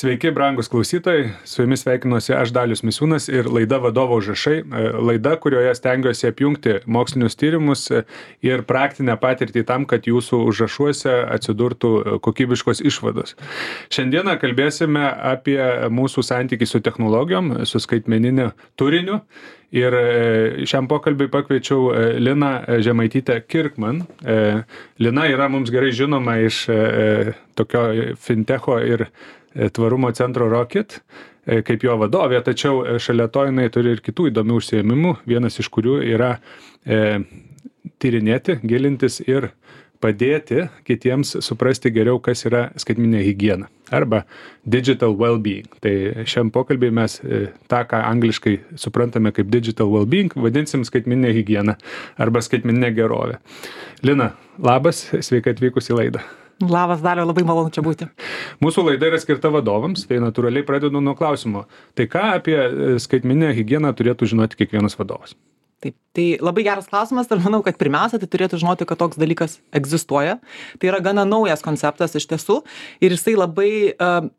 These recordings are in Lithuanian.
Sveiki, brangus klausytojai, su jumis sveikinuosi aš Dalius Misiūnas ir laida Vadovo užrašai, laida, kurioje stengiuosi apjungti mokslinius tyrimus ir praktinę patirtį tam, kad jūsų užrašuose atsidurtų kokybiškos išvados. Šiandieną kalbėsime apie mūsų santykį su technologijom, su skaitmeniniu turiniu. Ir šiam pokalbiui pakviečiau Liną Žemaitytę Kirkman. Lina yra mums gerai žinoma iš tokio fintecho ir tvarumo centro Rocket, kaip jo vadovė, tačiau šalia to jinai turi ir kitų įdomių užsiėmimų, vienas iš kurių yra tyrinėti, gilintis ir padėti kitiems suprasti geriau, kas yra skaitmeninė higiena arba digital well-being. Tai šiam pokalbį mes tą, ką angliškai suprantame kaip digital well-being, vadinsim skaitmeninė higiena arba skaitmeninė gerovė. Lina, labas, sveika atvykus į laidą. Labas, Daliau, labai malonu čia būti. Mūsų laida yra skirta vadovams, tai natūraliai pradedu nuo klausimo. Tai ką apie skaitmeninę higieną turėtų žinoti kiekvienas vadovas? Taip, tai labai geras klausimas ir manau, kad pirmiausia, tai turėtų žinoti, kad toks dalykas egzistuoja. Tai yra gana naujas konceptas iš tiesų ir jisai labai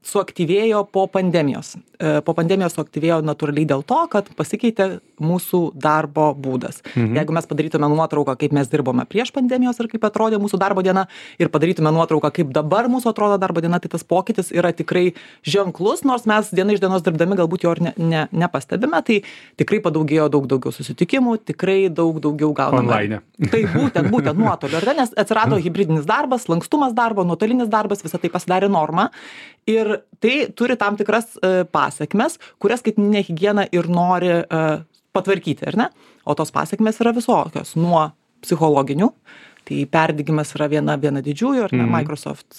suaktyvėjo po pandemijos. Po pandemijos suaktyvėjo natūraliai dėl to, kad pasikeitė mūsų darbo būdas. Jeigu mes padarytume nuotrauką, kaip mes dirbome prieš pandemijos ir kaip atrodė mūsų darbo diena ir padarytume nuotrauką, kaip dabar mūsų atrodo darbo diena, tai tas pokytis yra tikrai ženklus, nors mes diena iš dienos dirbdami galbūt jo ir nepastebime, tai tikrai padaugėjo daug daugiau susitikimų, tikrai daug daugiau gauname. Online. Tai būtent nuotoliu, nes atsirado hibridinis darbas, lankstumas darbo, nuotolinis darbas, visą tai pasidarė norma. Ir tai turi tam tikras pasekmes, kurias skaitmeninė higiena ir nori patvarkyti, ar ne? O tos pasekmės yra visokios, nuo psichologinių, tai perdegimas yra viena didžiųjų, ar ne? Microsoft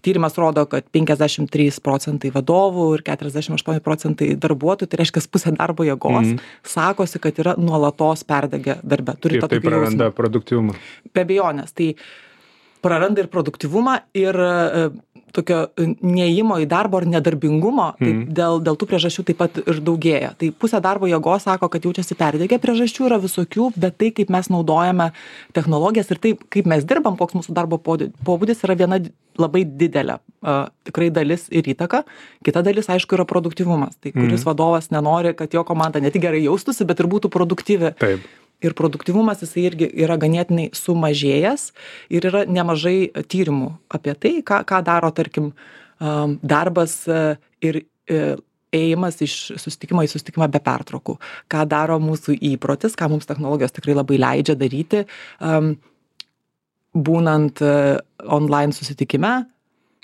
tyrimas rodo, kad 53% vadovų ir 48% darbuotojų, tai reiškia pusė darbo jėgos, sakosi, kad yra nuolatos perdegę darbe. Ir tai praranda produktyvumą. Be abejonės, tai praranda ir produktyvumą ir tokio neėjimo į darbo ar nedarbingumo, tai dėl tų priežasčių taip pat ir daugėja. Tai pusė darbo jėgos sako, kad jaučiasi perdegę, priežasčių yra visokių, bet tai, kaip mes naudojame technologijas ir taip, kaip mes dirbam, koks mūsų darbo pobūdis yra viena labai didelė tikrai dalis ir įtaka. Kita dalis, aišku, yra produktyvumas. Tai kuris vadovas nenori, kad jo komanda ne tik gerai jaustųsi, bet ir būtų produktyvi. Taip. Ir produktyvumas jisai irgi yra ganėtinai sumažėjęs ir yra nemažai tyrimų apie tai, ką daro, tarkim, darbas ir ėjimas iš susitikimo į susitikimą be pertraukų. Ką daro mūsų įprotis, ką mums technologijos tikrai labai leidžia daryti, būnant online susitikime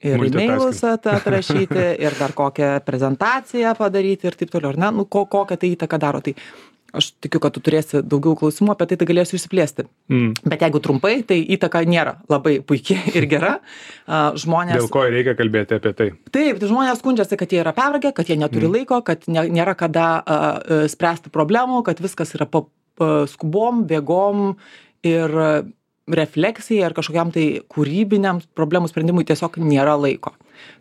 ir e-mailus atrašyti ir dar kokią prezentaciją padaryti ir taip toliau, ar ne? Kokią tai įtaką daro. Tai aš tikiu, kad tu turėsi daugiau klausimų apie tai galėsiu išsiplėsti. Bet jeigu trumpai, tai įtaka nėra labai puikiai ir gera. Žmonės... Dėl ko reikia kalbėti apie tai? Taip, tai žmonės skundžiasi, kad jie yra pervargę, kad jie neturi laiko, kad nėra kada spręsti problemų, kad viskas yra skubom, bėgom ir refleksijai ar kažkokiam tai kūrybiniam problemų sprendimui tiesiog nėra laiko.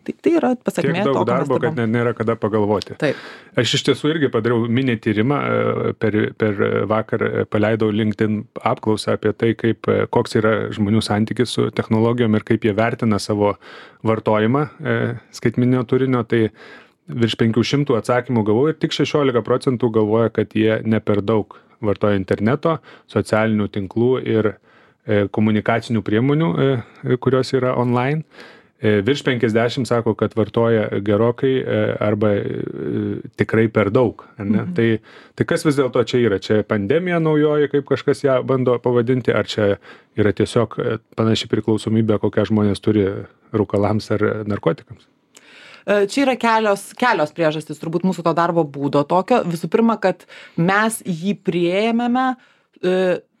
Tai yra pasakmė to, tiek daug darbo, kad nėra kada pagalvoti. Taip. Aš iš tiesų irgi padariau mini tyrimą, per vakar paleidau LinkedIn apklausą apie tai, koks yra žmonių santykis su technologijom ir kaip jie vertina savo vartojimą skaitmeninio turinio. Tai virš 500 atsakymų gavau ir tik 16% galvoja, kad jie ne per daug vartoja interneto, socialinių tinklų ir komunikacinių priemonių, kurios yra online. Virš 50 sako, kad vartoja gerokai arba tikrai per daug. Ar ne? Tai kas vis dėlto čia yra? Čia pandemija naujoji, kaip kažkas ją bando pavadinti, ar čia yra tiesiog panaši priklausomybė, kokią žmonės turi rūkalams ar narkotikams? Čia yra kelios priežastys, turbūt mūsų to darbo būdo tokio. Visų pirma, kad mes jį priėmėme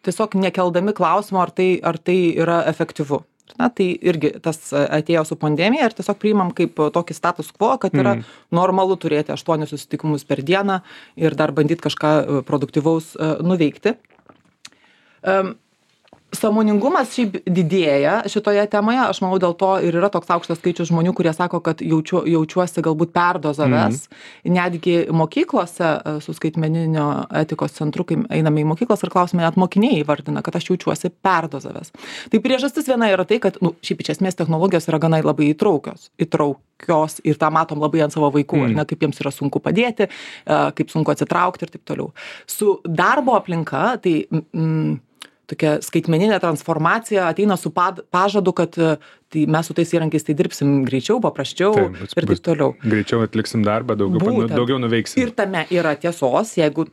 tiesiog nekeldami klausimo, ar tai yra efektyvu. Na, tai irgi tas atėjo su pandemija ir tiesiog priimam kaip tokį status quo, kad yra normalu turėti 8 susitikimus per dieną ir dar bandyti kažką produktyvaus nuveikti. Sąmoningumas šiaip didėja šitoje temoje. Aš manau, dėl to ir yra toks aukštas skaičius žmonių, kurie sako, kad jaučiuosi galbūt perdozavęs. Netgi mokyklose su skaitmeninio etikos centru, kai einame į mokyklas ir klausime, net mokiniai įvardina, kad aš jaučiuosi perdozavęs. Tai priežastis viena yra tai, kad šiaip iš esmės technologijos yra gana labai įtraukios ir tą matom labai ant savo vaikų, ar ne, kaip jiems yra sunku padėti, kaip sunku atsitraukti ir taip toliau. Su darbo aplinka, tai tokia skaitmeninė transformacija ateina su pažadu, kad tai mes su tais įrankiais tai dirbsim greičiau, paprasčiau ir taip toliau. Greičiau atliksim darbą, daugiau nuveiksim. Ir tame yra tiesos, jeigu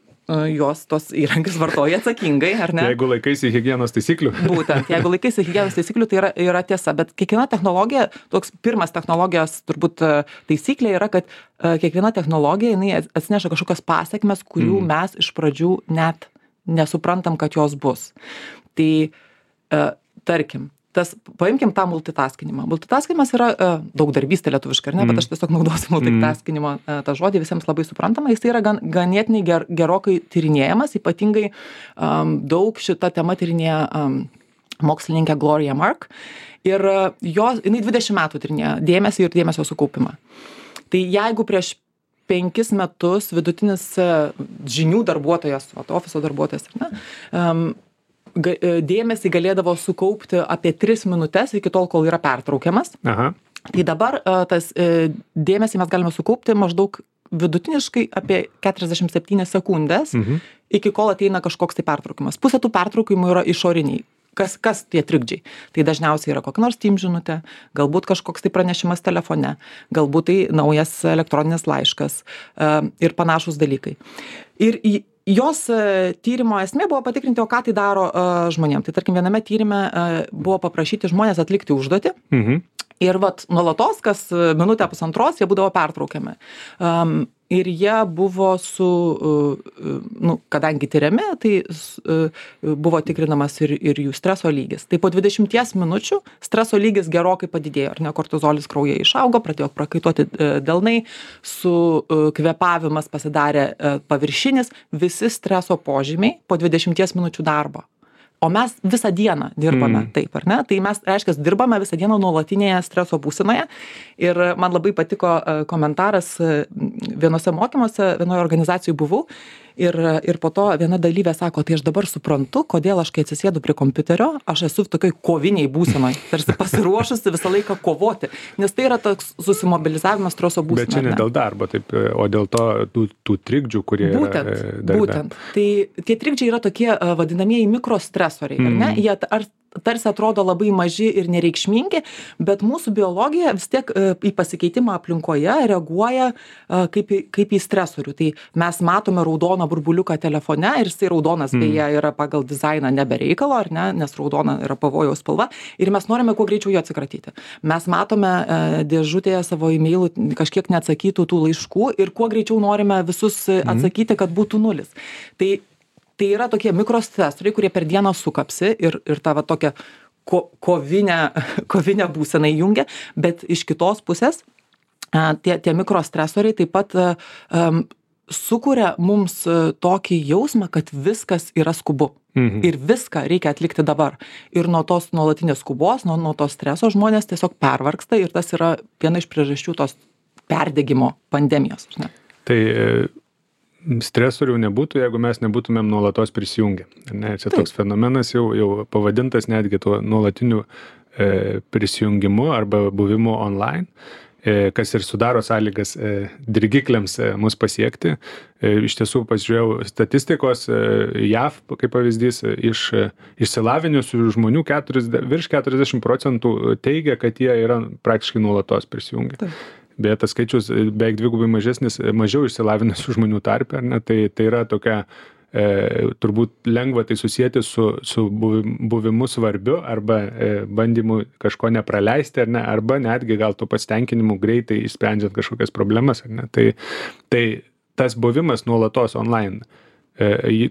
jos tos įrankius vartoja atsakingai, ar ne? Jeigu laikaisi higienos taisyklių. Būtent, jeigu laikaisi higienos taisyklių, tai yra tiesa, bet kiekviena technologija, toks pirmas technologijos turbūt taisyklė yra, kad kiekviena technologija, jinai atsineša kažkokias pasekmes, kurių mes iš pradžių net nesuprantam, kad jos bus. Tai, tarkim, paimkim tą multitaskinimą. Multitaskinimas yra daugdarbystė lietuviškai, ar ne, bet aš tiesiog naudosiu multitaskinimo tą žodį, visiems labai suprantama. Jis yra ganėtinai gerokai tyrinėjamas, ypatingai daug šitą temą tyrinėja mokslininkė Gloria Mark. Ir jinai 20 metų tyrinėja dėmesį ir dėmesio sukaupimą. Tai jeigu prieš 5 metus vidutinis žinių darbuotojas, ofiso darbuotojas, dėmesį galėdavo sukaupti apie 3 minutes iki tol, kol yra pertraukiamas. Aha. Tai dabar tas dėmesį mes galime sukaupti maždaug vidutiniškai apie 47 sekundės, iki kol ateina kažkoks tai pertraukimas. Pusė tų pertraukimų yra išoriniai. Kas tie trikdžiai? Tai dažniausiai yra kokia nors Teams žinutė, galbūt kažkoks tai pranešimas telefone, galbūt tai naujas elektroninis laiškas ir panašūs dalykai. Ir jos tyrimo esmė buvo patikrinti, o ką tai daro žmonėm. Tai tarkim, viename tyrime buvo paprašyti žmonės atlikti užduotį. Ir nuolatos, kas minutę pusantros, jie būdavo pertraukiami. Ir jie buvo kadangi tyriami, tai buvo tikrinamas ir jų streso lygis. Tai po 20 minučių streso lygis gerokai padidėjo, ar ne, kortizolis kraujyje išaugo, pradėjo prakaituoti delnai, kvėpavimas pasidarė paviršinis, visi streso požymiai po 20 minučių darbo. O mes visą dieną dirbame taip, ar ne? Tai mes, reiškia, dirbame visą dieną nuolatinėje streso būsenoje. Ir man labai patiko komentaras vienose mokymuose, vienoje organizacijoje buvau. Ir po to viena dalyvė sako, tai aš dabar suprantu, kodėl aš, kai atsisėdu prie kompiuterio, aš esu tokioj koviniai būsenoj, tarsi pasiruošusi visą laiką kovoti, nes tai yra toks susimobilizavimas streso būsenoje. Bet čia ne dėl darbo, taip, o dėl tų trikdžių, kurie yra darbe. Būtent. Tai tie trikdžiai yra tokie vadinamieji mikrostresoriai, ar ne? Jie tarsi atrodo labai maži ir nereikšmingi, bet mūsų biologija vis tiek į pasikeitimą aplinkoje reaguoja kaip į stresorių. Tai mes matome raudoną burbuliuką telefone ir jisai raudonas beje yra pagal dizainą nebe reikalo, ar ne, nes raudona yra pavojaus spalva ir mes norime kuo greičiau jo atsikratyti. Mes matome dėžutėje savo e-mailų kažkiek neatsakytų tų laiškų ir kuo greičiau norime visus atsakyti, kad būtų nulis. Tai yra tokie mikrostresoriai, kurie per dieną sukapsi ir tą tokią kovinę būseną įjungia, bet iš kitos pusės tie mikrostresoriai taip pat sukuria mums tokį jausmą, kad viskas yra skubu. Ir viską reikia atlikti dabar. Ir nuo tos nuolatinės skubos, nuo to streso žmonės tiesiog pervargsta ir tas yra viena iš priežasčių tos perdegimo pandemijos. Ne? Tai stresorių nebūtų, jeigu mes nebūtumėm nuolatos prisijungę. Čia toks fenomenas jau pavadintas netgi tuo nuolatiniu prisijungimu arba buvimu online, kas ir sudaro sąlygas dirgikliams mus pasiekti. Iš tiesų pasižiūrėjau statistikos, JAV, kaip pavyzdys, iš išsilavinusių žmonių virš 40% teigia, kad jie yra praktiškai nuolatos prisijungę. Bet tas skaičius beveik dvigubai mažesnis, mažiau išsilavinusių žmonių tarpe, ar ne? Tai yra tokia, turbūt lengva tai susijęti su buvimu svarbiu arba bandymu kažko nepraleisti, ar ne? Arba netgi gal to pasitenkinimu greitai išsprendžiant kažkokias problemas, ar ne? Tai tas buvimas nuolatos online,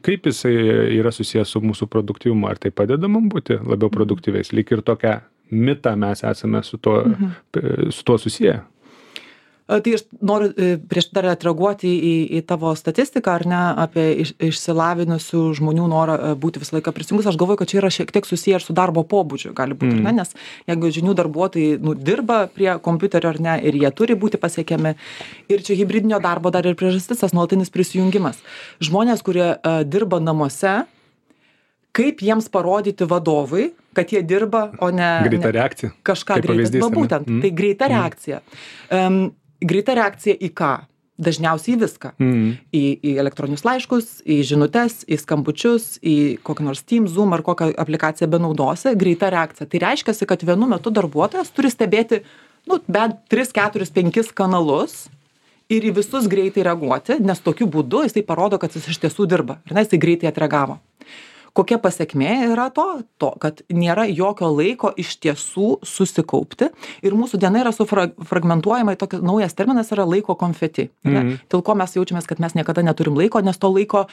kaip jisai yra susijęs su mūsų produktyvumu, ar tai padeda mums būti labiau produktyviais? Lyg ir tokią mitą mes esame su tuo susiję. Tai aš noriu prieš dar atreaguoti į tavo statistiką, ar ne, apie išsilavinusių žmonių norą būti visą laiką prisijungus. Aš galvoju, kad čia yra šiek tiek susiję ir su darbo pobūdžiu, gali būti, ne, nes jeigu žinių darbuotojai dirba prie kompiuterio, ar ne, ir jie turi būti pasiekiami. Ir čia hibridinio darbo dar ir priežastis, tas nuolatinis prisijungimas. Žmonės, kurie dirba namuose, kaip jiems parodyti vadovui, kad jie dirba, o ne... Greita reakcija. Kažką greitai. Va būtent, tai greita reakcija. Greita reakcija į ką? Dažniausiai į viską. Į elektroninius laiškus, į žinutes, į skambučius, į kokį nors Teams, Zoom ar kokią aplikaciją benaudosi. Greita reakcija. Tai reiškia, kad vienu metu darbuotojas turi stebėti bent 3, 4, 5 kanalus ir į visus greitai reaguoti, nes tokiu būdu jisai parodo, kad jis iš tiesų dirba. Ir jisai greitai atreagavo. Kokia pasekmė yra to, kad nėra jokio laiko iš tiesų susikaupti ir mūsų diena yra sufragmentuojama, toks naujas terminas yra laiko konfeti. Dėl ko mes jaučiamės, kad mes niekada neturim laiko, nes to laiko,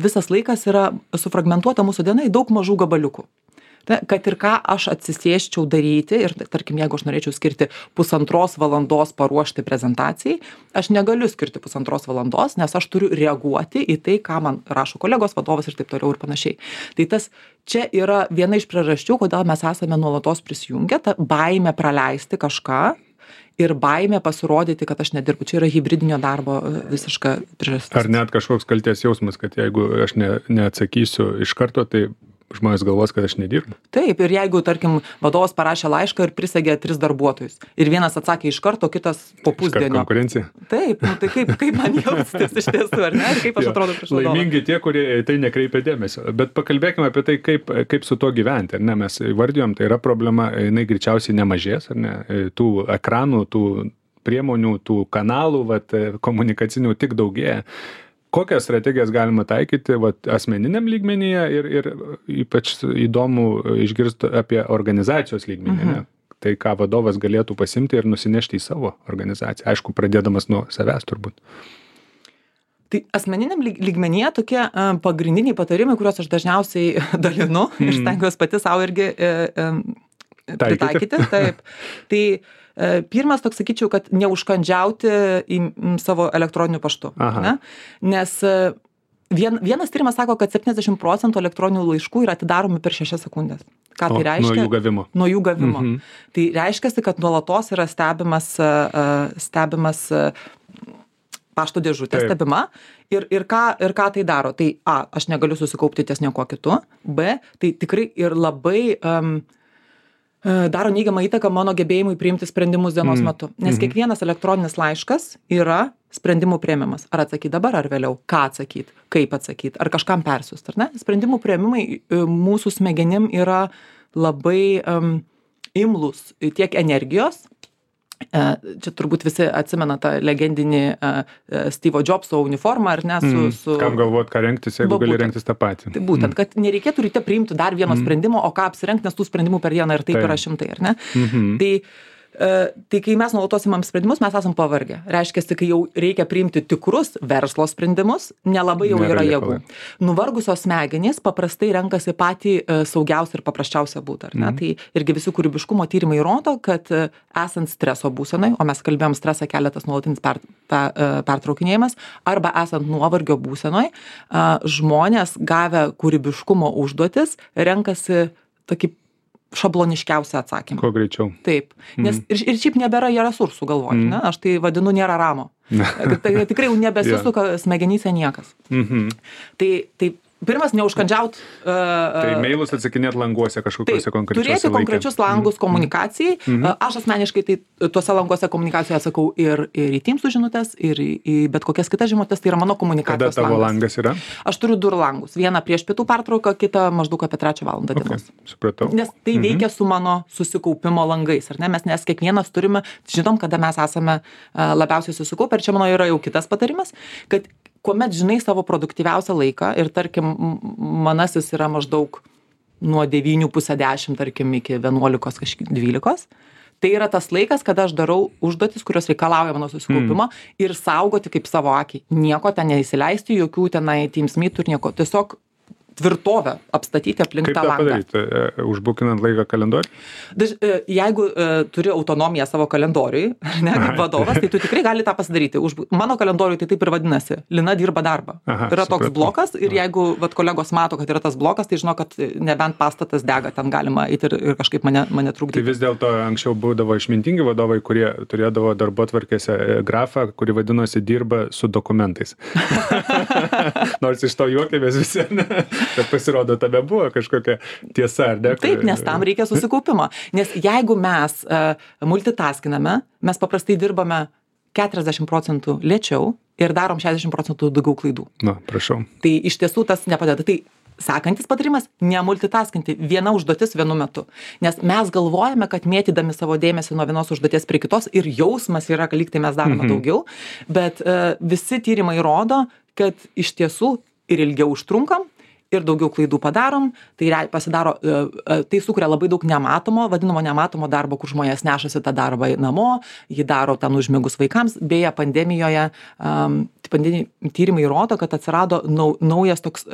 visas laikas yra sufragmentuota mūsų diena į daug mažų gabaliukų. Kad ir ką aš atsisėsčiau daryti ir, tarkim, jeigu aš norėčiau skirti 1,5 valandos paruošti prezentacijai, aš negaliu skirti 1,5 valandos, nes aš turiu reaguoti į tai, ką man rašo kolegos, vadovas ir taip toliau ir panašiai. Tai čia yra viena iš priežasčių, kodėl mes esame nuolatos prisijungę, ta baimė praleisti kažką ir baimė pasirodyti, kad aš nedirbu. Čia yra hibridinio darbo visiška priežastis. Ar net kažkoks kaltės jausmas, kad jeigu aš neatsakysiu iš karto, tai žmonės galvos, kad aš nedirbu. Taip, ir jeigu, tarkim, vadovas parašė laišką ir prisegė 3 darbuotojus, ir vienas atsakė iš karto, kitas po pusdienio. Konkurencija. Taip, tai kaip man jaustis iš tiesų, ar ne? Ir kaip aš atrodo prieš vadovą. Laimingi tie, kurie tai nekreipia dėmesio. Bet pakalbėkime apie tai, kaip su tuo gyventi, ar ne? Mes įvardijom, tai yra problema, jinai greičiausiai nemažės, ar ne? Tų ekranų, tų priemonių, tų kanalų, komunikacinių tik daugėja. Kokias strategijas galima taikyti asmeniniam lygmenyje ir ypač įdomu išgirsti apie organizacijos lygmenį, ne? Tai ką vadovas galėtų pasimti ir nusinešti į savo organizaciją, aišku, pradėdamas nuo savęs turbūt. Tai asmeniniam lygmenyje tokie pagrindiniai patarimai, kuriuos aš dažniausiai dalinu ir stengiuosi pati savo irgi pritaikyti. Taip. Tai pirmas toks, sakyčiau, kad neužkandžiauti į savo elektroniniu paštu. Ne? Nes vienas tyrimas sako, kad 70% elektroninių laiškų yra atidaromi per 6 sekundės. Ką tai reiškia? Nuo jų gavimo. Nuo jų gavimo. Tai reiškia, kad nuolatos yra stebimas pašto dėžutė stebima ir ką tai daro. Tai A, aš negaliu susikaupti ties nieko kitu. B, tai tikrai ir labai daro neigiamą įtaką mano gebėjimui priimti sprendimus dienos metu. Nes kiekvienas elektroninis laiškas yra sprendimų priėmimas. Ar atsakyti dabar, ar vėliau? Ką atsakyti? Kaip atsakyti? Ar kažkam persiųsti, ar ne? Sprendimų priėmimai mūsų smegenim yra labai imlūs tiek energijos. Čia turbūt visi atsimena tą legendinį Steve'o Jobso uniformą, ar ne? Kam galvot, ką rengtis, jeigu gali rengtis tą patį. Tai būtent, kad nereikėtų ryte priimti dar vieno sprendimo, o ką apsirengti, nes tų sprendimų per dieną ir taip yra 100, ar ne? Tai kai mes nuolatos imam sprendimus, mes esam pavargę. Reiškia, kai jau reikia priimti tikrus verslo sprendimus, nelabai jau yra jėgų. Nuvargusios smegenys paprastai renkasi patį saugiausią ir paprasčiausią būdą, ar ne? Tai irgi visi kūrybiškumo tyrimai rodo, kad esant streso būsenai, o mes kalbėjom stresą keletas nuolatinis pertraukinėjimas, arba esant nuovargio būsenoj, žmonės gavę kūrybiškumo užduotis renkasi tokį šabloniškiausią atsakymą. Kuo greičiau. Taip, nes ir šiaip nebėra resursų galvoj, ne? Aš tai vadinu nėra ramo. Tai tikrai jau nebesisuka smegenyse niekas. Tai pirmas, neužkandžiaut. Tai mailus atsakinėt languose kažkokiuose konkrečiuose turėti konkrečius langus komunikacijai. Aš asmeniškai tai tuose languose komunikacijoje atsakau ir į Teams žinutes, ir į bet kokias kitas žinutes, tai yra mano komunikacijos langas. Kada tavo langas yra? Aš turiu 2 langus. Vieną prieš pietų pertrauką, kitą maždaug apie 3 valandą dienos. Supratau. Nes tai veikia su mano susikaupimo langais, ar ne? Nes kiekvienas turime, žinom, kada mes esame labiausiai susikaupę. Ir čia mano yra jau kitas patarimas, kad kuomet žinai savo produktyviausią laiką ir tarkim manasis yra maždaug nuo 9:30, tarkim, iki 11:12, tai yra tas laikas, kada aš darau užduotis, kurios reikalauja mano susikaupimo ir saugoti kaip savo akį. Nieko ten neįsileisti, jokių tenai Teams meetų ir nieko. Tiesiog tvirtovę apstatyti aplink tą langą. Kaip tą padaryti? Užbukinant laiką kalendorių? Jeigu turi autonomiją savo kalendoriui, ne, kaip vadovas, tai tu tikrai gali tą pasidaryti. Mano kalendoriui tai taip ir vadinasi. Lina dirba darbą. Yra toks blokas ir jeigu kolegos mato, kad yra tas blokas, tai žino, kad nebent pastatas dega, ten galima eiti ir kažkaip mane trukdyti. Tai vis dėlto anksčiau būdavo išmintingi vadovai, kurie turėdavo darbotvarkėse grafą, kuri vadinosi dirba su dokumentais. Nors iš to juokėmės visi, ne? Bet pasirodo, tame buvo kažkokia tiesa, ar ne? Taip, nes tam reikia susikaupimo. Nes jeigu mes multitaskiname, mes paprastai dirbame 40% lėčiau ir darom 60% daugiau klaidų. Na, prašau. Tai iš tiesų tas nepadeda. Tai sekantis patarimas - nemultitaskinti, viena užduotis vienu metu. Nes mes galvojame, kad mėtydami savo dėmesį nuo vienos užduoties prie kitos ir jausmas yra, kad lyg tai mes darome daugiau, bet visi tyrimai rodo, kad iš tiesų ir ilgiau užtrunkam, ir daugiau klaidų padarom, tai sukuria labai daug vadinamo nematomo darbo, kur žmonės nešasi tą darbą namo, jį daro ten užmigus vaikams. Beje, pandemijoje tyrimai rodo, kad atsirado naujas toks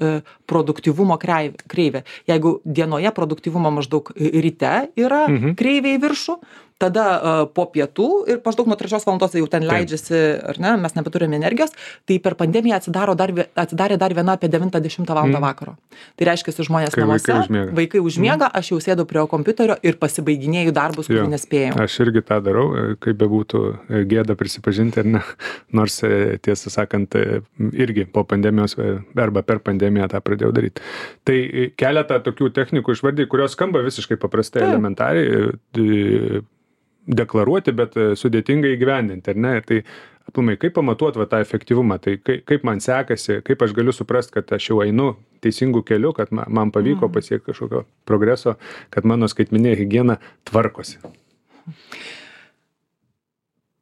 produktyvumo kreivė. Jeigu dienoje produktyvumo maždaug ryte yra kreivė į viršų, tada po pietų ir maždaug nuo 3 valandos jau ten leidžiasi, ar ne, mes nebeturime energijos, tai per pandemiją atsidarė dar viena apie 9-10 valandą vakaro. Tai reiškia, žmonės namuose, vaikai užmiega, aš jau sėdu prie kompiuterio ir pasibaiginėju darbus, kurių nespėjau. Aš irgi tą darau, kaip bebūtų gėda prisipažinti, ar ne, nors tiesą sakant, irgi po pandemijos arba per pandemiją tą pradėjau daryti. Tai keletą tokių technikų išvardį, kurios skamba visiškai paprastai, elementariai, deklaruoti, bet sudėtingai įgyvendinti, ar ne? Tai aplamai, kaip pamatuoti tą efektyvumą, tai kaip man sekasi, kaip aš galiu suprasti, kad aš jau einu teisingų kelių, kad man pavyko pasiekti kažkokio progreso, kad mano skaitmeninė higiena tvarkosi.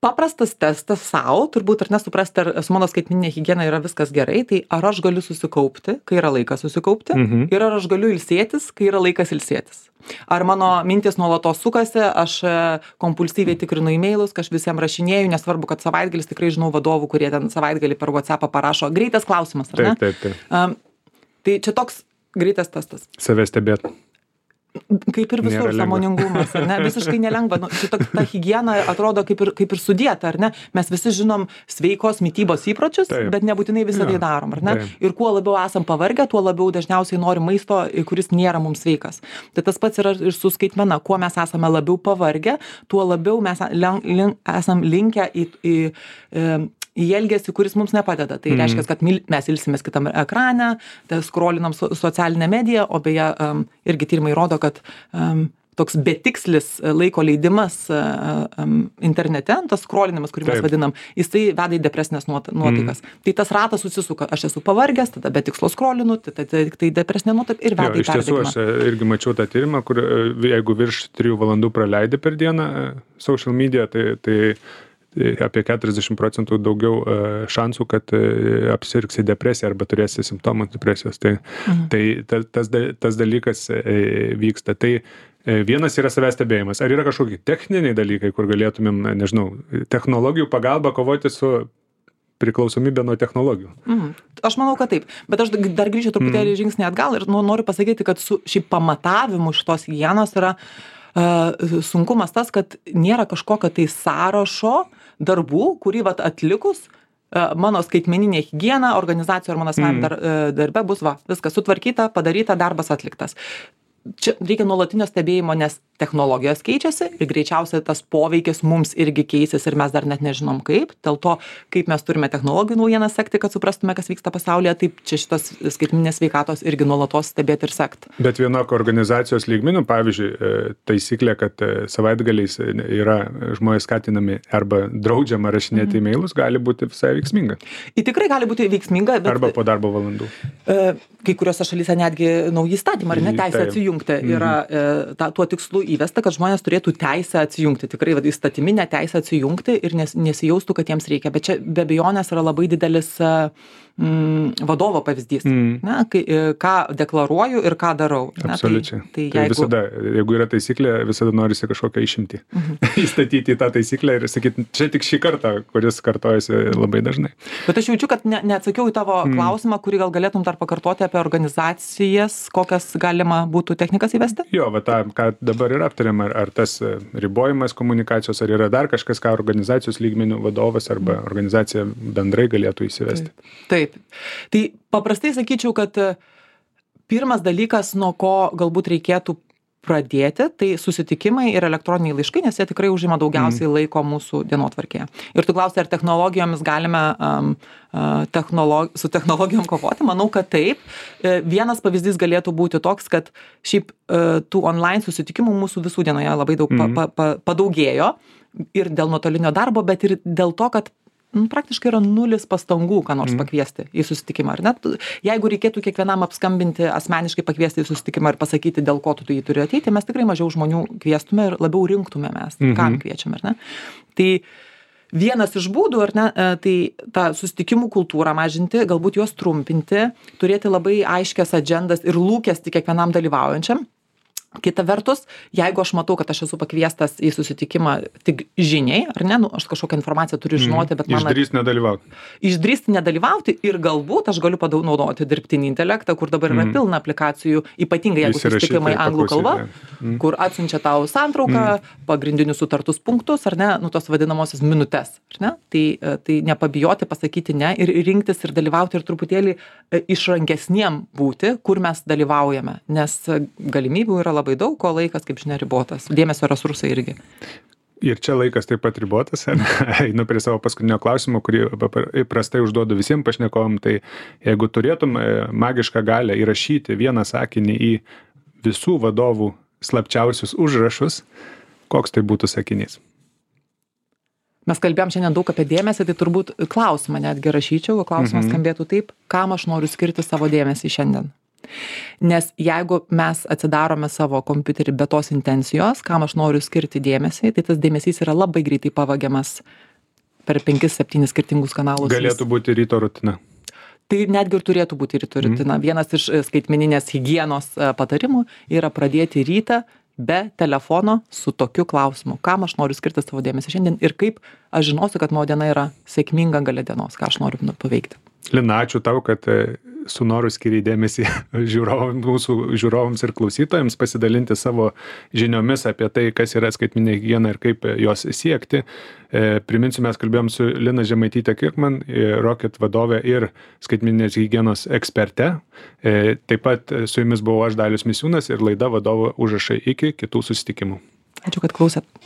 Paprastas testas savo, turbūt ar nesuprasti, ar su mano skaitmeninė higiena yra viskas gerai, tai ar aš galiu susikaupti, kai yra laikas susikaupti, ir ar aš galiu ilsėtis, kai yra laikas ilsėtis. Ar mano mintis nuolatos sukasi, aš kompulsyviai tikrinu e-mailus, aš visiems rašinėju, nesvarbu, kad savaitgalis, tikrai žinau vadovų, kurie ten savaitgalį per WhatsAppą parašo. Greitas klausimas, ar ne? Taip. Tai čia toks greitas testas. Save stebėt. Kaip ir visur sąmoningumas, ar ne? Visiškai nelengva. Ta higiena atrodo kaip ir sudėta, ar ne? Mes visi žinom sveikos mitybos įpročius, bet nebūtinai visą tai darom, ar ne? Ir kuo labiau esam pavargę, tuo labiau dažniausiai norim maisto, kuris nėra mums sveikas. Tai tas pats yra ir su skaitmena. Kuo mes esame labiau pavargę, tuo labiau mes esam linkę į elgesį, kuris mums nepadeda. Tai reiškia, kad mes ilsimės kitam ekrane, skrolinam socialinę mediją, o beje, irgi tyrimai rodo, kad toks betikslis laiko leidimas internete, tas skrolinimas, kurį mes vadinam, jisai veda į depresinės nuotaikas. Tai tas ratas susisuka. Aš esu pavargęs, tada be tikslo skrolinu, tai depresinė nuotaika ir veda į perdegimą. Iš tiesų, aš irgi mačiau tą tyrimą, kur jeigu virš 3 valandų praleidi per dieną social media, tai apie 40% daugiau šansų, kad apsirgsi depresiją arba turėsi simptomų depresijos. Tai tas dalykas vyksta. Tai vienas yra savęs stebėjimas. Ar yra kažkokie techniniai dalykai, kur galėtumėm, nežinau, technologijų pagalba kovoti su priklausomybė nuo technologijų? Aš manau, kad taip. Bet aš dar grįšiu truputėlį žingsnį atgal ir noriu pasakyti, kad su šį pamatavimu šitos higienos yra sunkumas tas, kad nėra kažkokio tai sąrašo darbų, kurį atlikus mano skaitmeninė higiena, organizacijų ar mano asmeniniam darbe bus viskas sutvarkyta, padaryta, darbas atliktas. Čia reikia nuolatinio stebėjimo, nes technologijos keičiasi ir greičiausiai tas poveikis mums irgi keisis ir mes dar net nežinom kaip. Dėl to, kaip mes turime technologijų naujienas sekti, kad suprastume, kas vyksta pasaulyje, taip čia šitas skaitmeninės sveikatos irgi nuolatos stebėti ir sekti. Bet vienok organizacijos lygmenių, pavyzdžiui, taisyklė, kad savaitgaliais yra žmonės skatinami arba draudžiama rašinėti e-mailus, gali būti visai veiksminga. Tikrai gali būti veiksminga, bet arba po darbo valandų. Kai kuriuose šalyse netgi nauji įstatymai, ar ne, teisė atsijungti yra tuo tikslu įvesta, kad žmonės turėtų teisę atsijungti, tikrai įstatyminę teisę atsijungti ir nesijaustų, kad jiems reikia. Bet čia be abejonės yra labai didelis vadovo pavyzdys, ne, ką deklaruoju ir ką darau. Ne, Absoliučiai. Tai Tai visada, jeigu yra taisyklė, visada norisi kažkokią išimtį įstatyti į tą taisyklę ir sakyti, čia tik šį kartą, kuris kartojasi labai dažnai. Bet aš jaučiu, kad neatsakiau į tavo klausimą, kurį gal galėtum dar pakartoti apie organizacijas, kokias galima būtų technikas įvesti? Jo, va tą, ką dabar ir aptariam, ar tas ribojimas komunikacijos, ar yra dar kažkas, ką organizacijos lygmenių vadovas arba organizacija bendrai galėtų įsivesti. Taip. Tai paprastai sakyčiau, kad pirmas dalykas, nuo ko galbūt reikėtų pradėti, tai susitikimai ir elektroniniai laiškai, nes jie tikrai užima daugiausiai laiko mūsų dienotvarkėje. Ir tu klausi, ar technologijomis galime su technologijom kovoti? Manau, kad taip. Vienas pavyzdys galėtų būti toks, kad šiaip tų online susitikimų mūsų visų dienoje labai daug padaugėjo ir dėl nuotolinio darbo, bet ir dėl to, kad praktiškai yra nulis pastangų, ką nors pakviesti į susitikimą. Ar net, jeigu reikėtų kiekvienam apskambinti, asmeniškai pakviesti į susitikimą ir pasakyti, dėl ko tu jį turi ateiti, mes tikrai mažiau žmonių kviestume ir labiau rinktume mes, kam kviečiame, ar ne? Tai vienas iš būdų, ar ne, tai tą susitikimų kultūrą mažinti, galbūt juos trumpinti, turėti labai aiškias adžendas ir lūkestį kiekvienam dalyvaujančiam. Kita vertus, jeigu aš matau, kad aš esu pakviestas į susitikimą tik žiniai, ar ne, aš kažkokią informaciją turiu žinoti, bet man... Išdrįsti nedalyvauti ir galbūt aš galiu naudoti dirbtinį intelektą, kur dabar yra pilna aplikacijų, ypatingai jeigu susitikimai anglų kalba, kur atsiunčia tau santrauką, pagrindinius sutartus punktus, ar ne, tos vadinamosios minutes, ar ne, tai nepabijoti pasakyti ne ir rinktis ir dalyvauti ir truputėlį išrankesniem būti, kur mes dalyvaujame, nes galimybių yra labai daug, o laikas, kaip žinia, ribotas. Dėmesio resursai irgi. Ir čia laikas taip pat ribotas. Einu prie savo paskutinio klausimo, kurį įprastai užduodu visiems pašnekovam. Tai jeigu turėtum magišką galią įrašyti vieną sakinį į visų vadovų slapčiausius užrašus, koks tai būtų sakinys? Mes kalbėjom šiandien daug apie dėmesį, tai turbūt klausimą netgi rašyčiau, o klausimas skambėtų taip, kam aš noriu skirti savo dėmesį šiandien. Nes jeigu mes atsidarome savo kompiuterį be tos intencijos, kam aš noriu skirti dėmesį, tai tas dėmesys yra labai greitai pavagiamas per 5-7 skirtingus kanalus. Galėtų būti ryto rutina. Tai netgi ir turėtų būti ryto rutina. Vienas iš skaitmeninės higienos patarimų yra pradėti rytą be telefono su tokiu klausimu, kam aš noriu skirti savo dėmesį šiandien ir kaip aš žinosiu, kad mano diena yra sėkminga gale dienos, ką aš noriu paveikti. Lina, ačiū tau, kad su noru skiriai dėmesį mūsų žiūrovams ir klausytojams pasidalinti savo žiniomis apie tai, kas yra skaitmeninė higiena ir kaip jos siekti. Priminsiu, mes kalbėjom su Lina Žemaityte-Kirkman, Rocket vadove ir skaitmeninės higienos eksperte. Taip pat su jumis buvau aš, Dalius Misiūnas, ir laida Vadovo užrašai. Iki kitų susitikimų. Ačiū, kad klausėt.